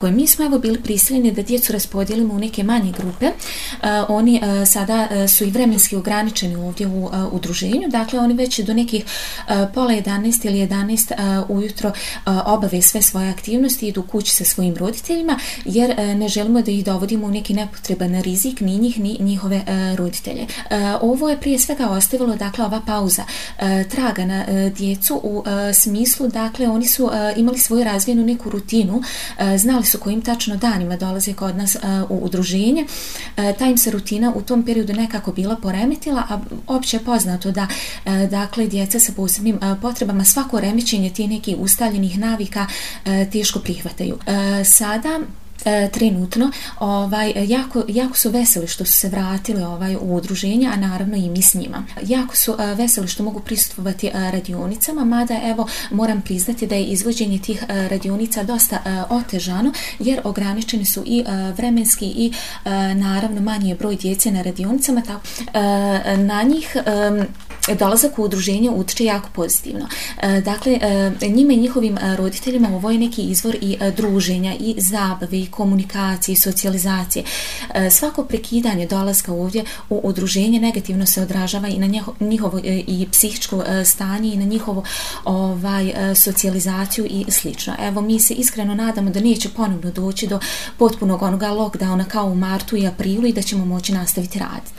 Mi smo evo bili prisiljeni da djecu raspodijelimo u neke manje grupe. Oni sada su i vremenski ograničeni ovdje u udruženju, dakle oni već do nekih pola 11 ili 11 ujutro obave sve svoje aktivnosti i idu kući sa svojim roditeljima, jer ne želimo da ih dovodimo u neki nepotreban rizik, ni njih ni njihove roditelje. Ovo je prije svega ostavilo, dakle, ova pauza traga na djecu u smislu, dakle, oni su imali svoju razvijenu neku rutinu, znali su kojim tačno danima dolaze kod nas u udruženje. Ta im se rutina u tom periodu nekako bila poremetila, a opće je poznato da dakle djeca sa posebnim potrebama svako remećenje tih nekih ustaljenih navika teško prihvataju. Sada trenutno jako su veseli što su se vratili u udruženje, a naravno i mi s njima. Jako su veseli što mogu prisustvovati radionicama, mada evo moram priznati da je izvođenje tih radionica dosta otežano, jer ograničeni su i vremenski i naravno manji je broj djece na radionicama, tako na njih dolazak u udruženje utiče jako pozitivno. Dakle, njima i njihovim roditeljima ovo je neki izvor i druženja, i zabave, i komunikacije, i socijalizacije. Svako prekidanje dolaska ovdje u udruženje negativno se odražava i na njihovo i psihičko stanje i na njihovu socijalizaciju i slično. Evo, mi se iskreno nadamo da neće ponovno doći do potpunog onoga lockdowna kao u martu i aprilu i da ćemo moći nastaviti raditi.